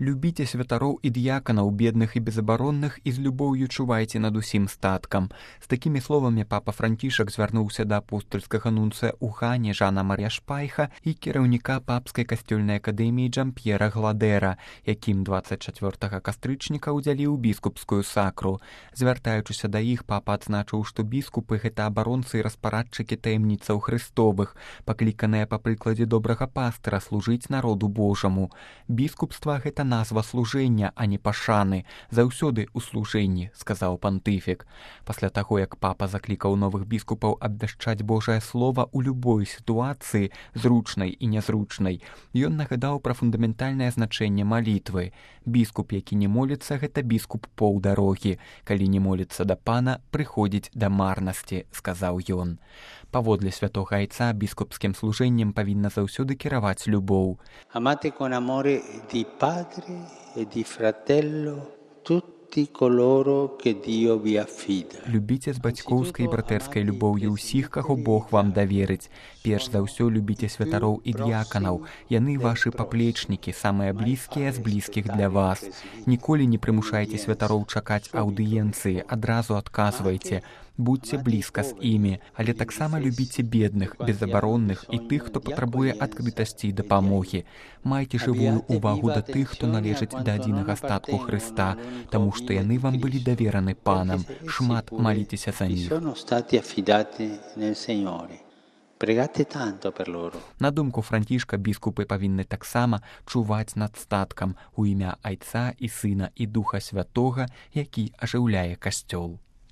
Любіце святароў і д'яканаў, бедных і безабаронных, і з любоўю чувайце над усім статкам. З такімі словамі папа Францішак звярнуўся да апостольскага нунцыя ў Гане Жана Мар'я Шпайха і кіраўніка папскай касцёльнай акадэміі Джамп'ера Гладэра, якім 24 кастрычніка ўдзяліў біскупскую сакру. Звяртаючыся да іх, папа адзначыў, што біскупы — гэта абаронцы і распарадчыкі таямніцаў Христовых, пакліканыя па прыкладзе добрага пастыра служыць народу Божаму. Біскупства — гэта назва служэння, а не пашаны. Заўсёды ў служэнні, сказаў пантыфік. Пасля таго, як папа заклікаў новых біскупаў абвяшчаць Божае слова ў любой сітуацыі, зручнай і нязручнай, ён нагадаў пра фундаментальнае значэнне малітвы. Біскуп, які не моліцца, гэта біскуп паўдарогі. Калі не моліцца да пана, прыходзіць да марнасці, сказаў ён. Паводле святога айца, біскупскім служэннем павінна заўсёды кіраваць любоў. Amate con amore di padre e di fratello tutti coloro che Dio vi affida. Любіце з бацькоўскай і братэрскай любоўю ўсіх, каго Бог вам даверыць. Перш за ўсё любіце святароў і д'яканаў. Яны вашы паплечнікі, самыя блізкія з блізкіх для вас. Ніколі не прымушайце святароў чакаць аўдыенцыі, адразу адказвайце. Будьце блізка з імі, але таксама любіце бедных, безабаронных і тых, хто патрабуе адкрытасці і дапамогі. Майце жывую ўвагу да тых, хто належыць да адзінага статку Хрыста, таму што яны вам былі давераны панам. Шмат маліцеся за іх. На думку Францішка, біскупы павінны таксама чуваць над статкам у імя Айца і Сына і Духа Святога, які ажыўляе касцёл.